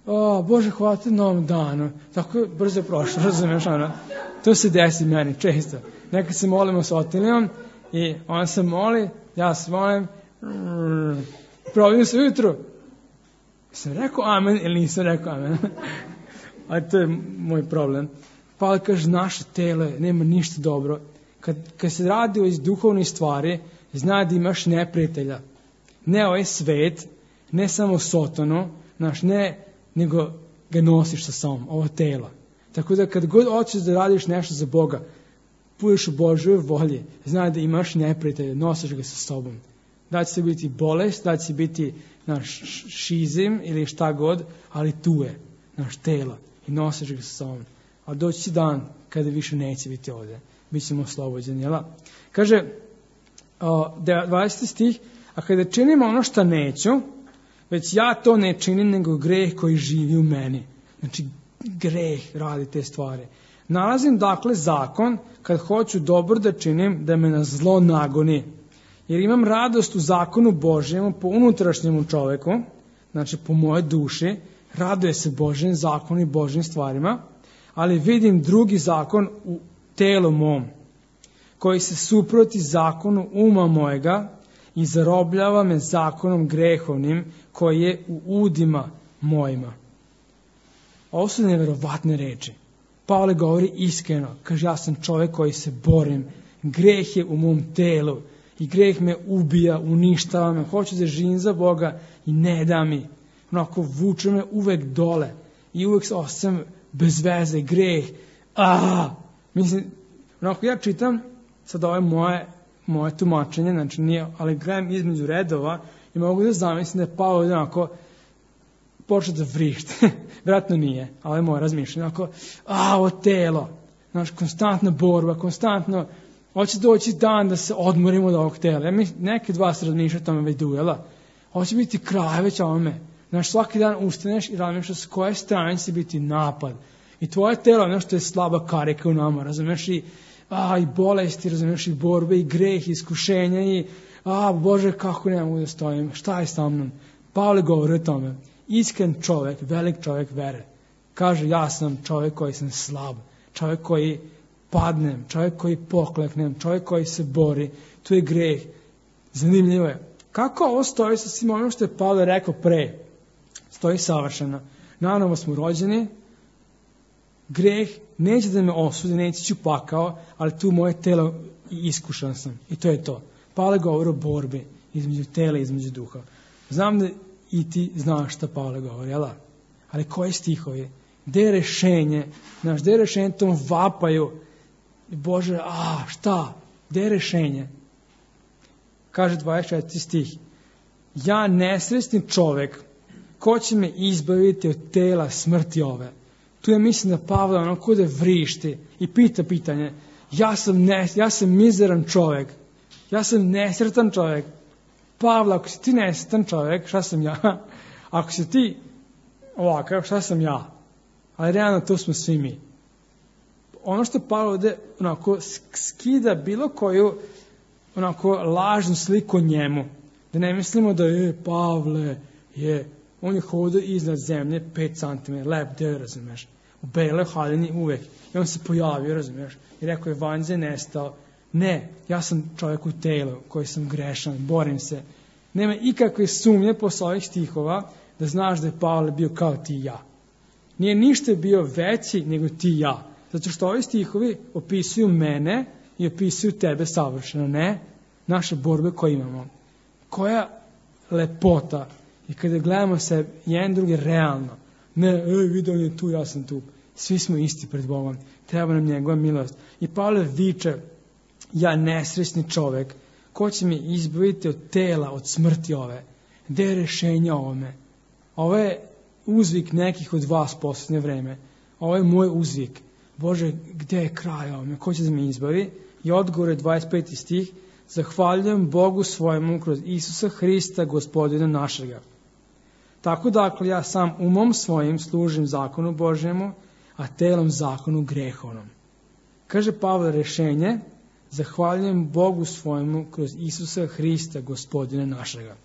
O, Bože, hvala ti na ovom danu. Tako je brzo prošlo, razumiješ, ono. To se desi meni često. Nekad se molimo s Otilijom i on se moli, ja se molim, probudim se ujutru. Sam rekao amen ili nisam rekao amen. A to je moj problem. Pavle kaže, naše telo nema ništa dobro. Kad, kad se radi o iz duhovnih stvari, zna da imaš neprijatelja. Ne ovaj svet, ne samo Sotonu, naš, ne, nego ga nosiš sa sobom, ovo telo. Tako da kad god hoćeš da radiš nešto za Boga, budeš u Božoj volji, znaj da imaš neprijatelja, nosiš ga sa sobom. Da će se biti bolest, da će biti naš šizim ili šta god, ali tu je naš telo i nosiš ga sa sobom. A doći će dan kada više neće biti ovdje. Bićemo oslobođeni, jel? Kaže, dvadeseti stih, a kada činim ono što neću, već ja to ne činim, nego greh koji živi u meni. Znači, greh radi te stvari. Nalazim dakle zakon, kad hoću dobro da činim, da me na zlo nagoni. Jer imam radost u zakonu Božjemu, po unutrašnjemu čoveku, znači po moje duši, raduje se Božjem zakonu i Božjim stvarima, ali vidim drugi zakon u telu mom, koji se suproti zakonu uma mojega i zarobljava me zakonom grehovnim, koji je u udima mojima. Ovo su nevjerovatne reči. Pavle govori iskreno, kaže, ja sam čovjek koji se borim, greh je u mom telu i greh me ubija, uništava me, hoću da živim za Boga i ne da mi. Onako vuče me uvek dole i uvek se osjećam bez veze, greh. Ah! Mislim, onako ja čitam sad ove moje, moje tumačenje, znači nije, ali gledam između redova i mogu da zamislim da je Pavle onako počeo da vrišti. Vjerojatno nije, ali je moje razmišljanje. Onako, a, ovo telo, znači, konstantna borba, konstantno, hoće doći dan da se odmorimo od ovog tela. Ja mi neki dva se razmišljaju o tome već duela. Hoće biti kraj već ovome. Znači, svaki dan ustaneš i razmišljaš s koje strane će biti napad. I tvoje telo je nešto je slaba karika u nama, razumiješ, i, a, i bolesti, razumiješ, i borbe, i greh, i iskušenja, i a, Bože, kako ne mogu da stojim, šta je sa mnom? Pavle govori o tome. Iskren čovjek, velik čovjek vere. Kaže, ja sam čovjek koji sam slab, čovjek koji padnem, čovjek koji pokleknem, čovjek koji se bori, tu je greh. Zanimljivo je. Kako ovo stoji sa svim onim što je Pavle rekao pre? Stoji savršeno. Nanovo smo rođeni, greh neće da me osudi, neće ću pakao, ali tu moje telo i iskušan sam. I to je to. Pavle govori o borbi između tela i između duha. Znam da i ti znaš šta Pavle govori, jel da? Ali koji stihovi? Gde je rešenje? Znaš, gde je rešenje tom vapaju? Bože, a, šta? Gde je rešenje? Kaže dvadeset četvrti stih. Ja nesrećni čovek, ko će me izbaviti od tela smrti ove? Tu je mislim da Pavle ono kude vrišti i pita pitanje. Ja sam, ne, ja sam mizeran čovek. Ja sam nesretan čovek. Pavle, ako si ti nesretan čovek, šta sam ja? Ako si ti ovakav, šta sam ja? Ali realno to smo svi mi. Ono što Pavle ovde onako skida bilo koju onako lažnu sliku o njemu. Da ne mislimo da je Pavle je, on je hodio iznad zemlje pet centimetara, lep deo, razumeš. U beloj haljini uvek. I on se pojavio, razumeš. I rekao je, vanjze nestao. Ne, ja sam čovjek u telu, koji sam grešan, borim se. Nema ikakve sumnje posle ovih stihova da znaš da je Pavle bio kao ti i ja. Nije ništa bio veći nego ti i ja. Zato što ovi stihovi opisuju mene i opisuju tebe savršeno. Ne, naše borbe koje imamo. Koja lepota. I kada gledamo se jedan drugi realno. Ne, ej, vidi, on je tu, ja sam tu. Svi smo isti pred Bogom. Treba nam njegova milost. I Pavle viče, ja nesrećni čovek, ko će mi izbaviti od tela, od smrti ove? Gde je rešenje ovome? Ovo je uzvik nekih od vas posljednje vreme. Ovo je moj uzvik. Bože, gde je kraj ovome? Ko će da me izbavi? I odgovor je dvadeset peti stih. Zahvaljujem Bogu svojemu kroz Isusa Hrista, Gospodina našega. Tako dakle, ja sam umom svojim služim zakonu Božjemu, a telom zakonu grehovnom. Kaže Pavle rešenje, zahvaljujem Bogu svojemu kroz Isusa Hrista, Gospodina našega.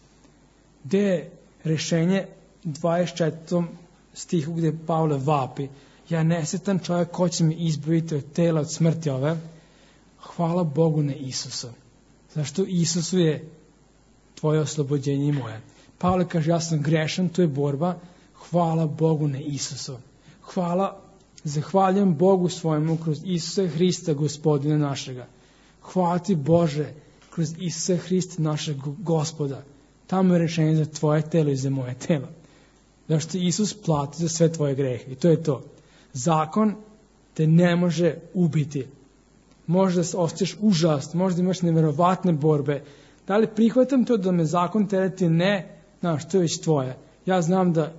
Gde je rešenje dvadeset četvrtom stihu gde Pavle vapi, ja nesretan čovjek, ko će mi izbaviti od tela, od smrti ove? Hvala Bogu na Isusa. Zašto Isusu je tvoje oslobođenje i moje. Pavle kaže, ja sam grešan, to je borba. Hvala Bogu na Isusu. Hvala, zahvaljujem Bogu svojemu kroz Isusa Hrista, Gospodina našega. Hvala ti Bože, kroz Isusa Hrista našeg Gospoda. Tamo je rešenje za tvoje telo i za moje telo. Zašto Isus plati za sve tvoje grehe. I to je to. Zakon te ne može ubiti. Možda se osjećaš užast, možda imaš neverovatne borbe. Da li prihvatam to da me zakon tereti? Ne, znaš, to je već tvoje. Ja znam da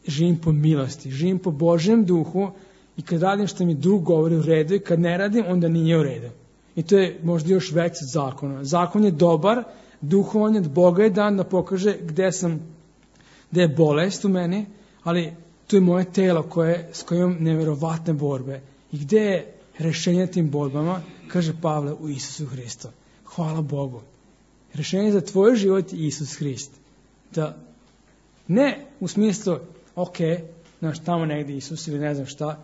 živim po milosti, živim po Božjem duhu i kad radim što mi duh govori u redu i kad ne radim, onda nije u redu. I to je možda još veći od zakona. Zakon je dobar, duhovan je od Boga je dan da pokaže gde sam, gde je bolest u meni, ali to je moje telo koje, s kojim imam neverovatne borbe. I gde je rešenje tim borbama, kaže Pavle, u Isusu Hristu. Hvala Bogu. Rešenje za tvoj život je Isus Hrist. Da ne u smislu, ok, znaš, tamo negdje Isus ili ne znam šta,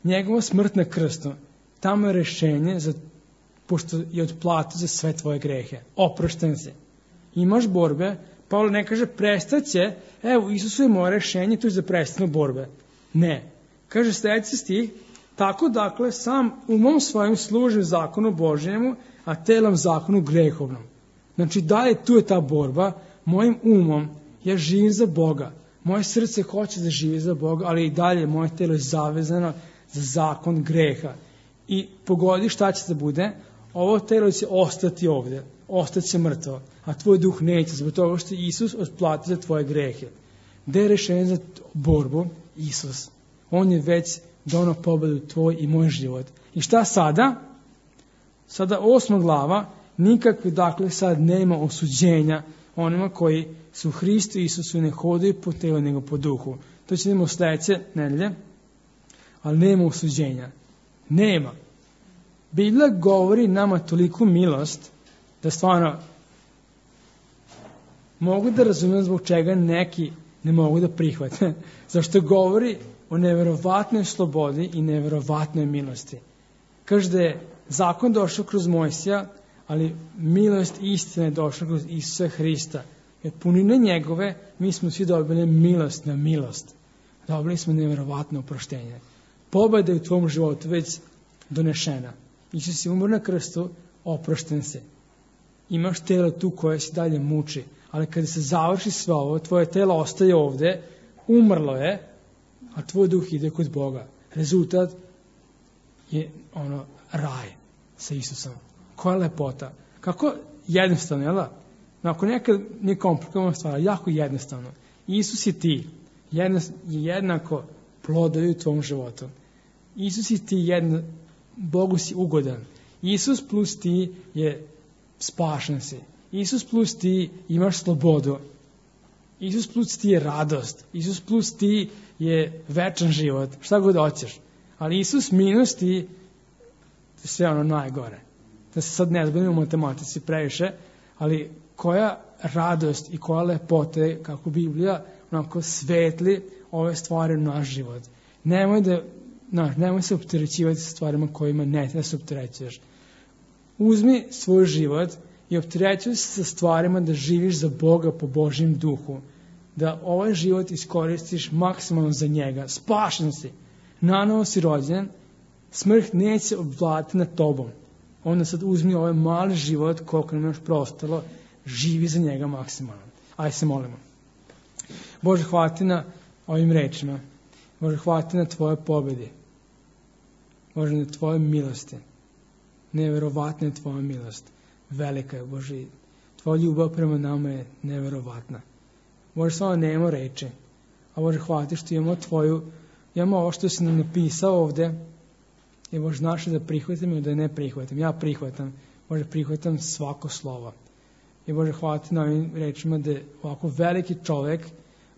njegova smrt na krstu, tamo je rešenje za, pošto je otplata za sve tvoje grehe. Oprošten si. Imaš borbe, Pavle ne kaže prestaće, evo Isusu je moje rešenje, to je za prestanu borbe. Ne. Kaže sljedeći stih, tako dakle sam umom svojim služim zakonu Božjemu, a telom zakonu grehovnom. Znači dalje tu je ta borba, mojim umom ja živim za Boga. Moje srce hoće da živi za Boga, ali i dalje moje telo je zavezano za zakon greha. I pogodi šta će da bude, ovo telo će ostati ovde, ostaće mrtvo, a tvoj duh neće, zbog toga što Isus otplati za tvoje grehe. Gde je rešenje za borbu? Isus. On je već donao pobedu tvoj i moj život. I šta sada? Sada osma glava, nikakve, dakle, sad nema osuđenja onima koji su u Hristu Isusu ne hodaju po telu nego po duhu. To će vidimo sledeće nedelje, ali nema osuđenja. Nema. Biblija govori nama toliko milost da stvarno mogu da razumijem zbog čega neki ne mogu da prihvate. Zašto govori o neverovatnoj slobodi i neverovatnoj milosti. Kaže da je zakon došao kroz Mojsija, ali milost i istina je došla kroz Isusa Hrista. I od punine njegove mi smo svi dobili milost na milost. Dobili smo neverovatno oproštenje. Pobeda je u tvom životu već donešena. Isus je umro na krstu, oprošten se. Imaš telo tu koje se dalje muči, ali kada se završi sve ovo, tvoje telo ostaje ovde, umrlo je, a tvoj duh ide kod Boga. Rezultat je ono raj sa Isusom. Koja lepota. Kako jednostavno, jel da? Ako nekad nije komplikovana stvar, jako jednostavno. Isus je ti, jedno, jednako plodovi u tvom životu. Isus je ti jedno, Bogu si ugodan. Isus plus ti je spašen si. Isus plus ti imaš slobodu. Isus plus ti je radost. Isus plus ti je večan život. Šta god hoćeš. Ali Isus minus ti sve ono najgore. Da se sad ne zbavimo u matematici previše, ali koja radost i koja lepota je kako Biblija onako svetli ove stvari u naš život. Nemoj da Znaš, nemoj se opterećivati sa stvarima kojima ne treba se opterećuješ. Uzmi svoj život i opterećuj se sa stvarima da živiš za Boga po Božjem duhu. Da ovaj život iskoristiš maksimalno za njega. Spašen si. Nanovo si rođen. Smrt neće obvladati nad tobom. Onda sad uzmi ovaj mali život koliko nam još prostalo. Živi za njega maksimalno. Ajde se molimo. Bože, hvala ti na ovim rečima. Bože, hvala ti na tvoje pobedi. Bože, na tvoje milosti. Neverovatna je tvoja milost. Velika je, Bože. Tvoja ljubav prema nama je neverovatna. Bože, samo nemamo reči. A Bože, hvala ti što imamo tvoju, imamo ovo što si nam napisao ovde. I Bože, znaš da prihvatim ili da ne prihvatim. Ja prihvatam. Bože, prihvatam svako slovo. I Bože, hvala ti na ovim rečima da ovako veliki čovek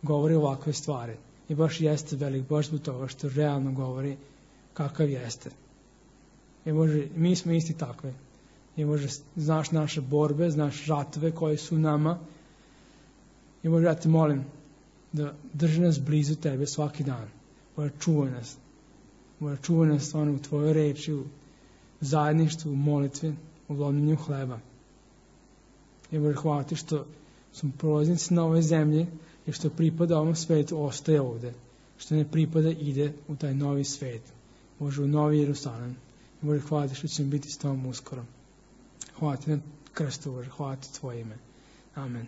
govori ovakve stvari. I baš jeste velik, baš zbog toga što realno govori kakav jeste. I Bože, mi smo isti takvi. I Bože, znaš naše borbe, znaš žatve koje su u nama. I Bože, ja te molim da drži nas blizu tebe svaki dan. Bože, čuvaj nas. Bože, čuvaj nas stvarno u tvojoj reči, u zajedništvu, u molitvi, u lomljenju hleba. I Bože, hvala ti što smo prolaznici na ovoj zemlji i što pripada ovom svetu ostaje ovde. Što ne pripada ide u taj novi svet. Bože, u novi Jerusalim. I Bože, hvala ti što ćemo biti s tobom uskoro. Hvala ti na krstu, Bože, hvala ti tvoje ime. Amen.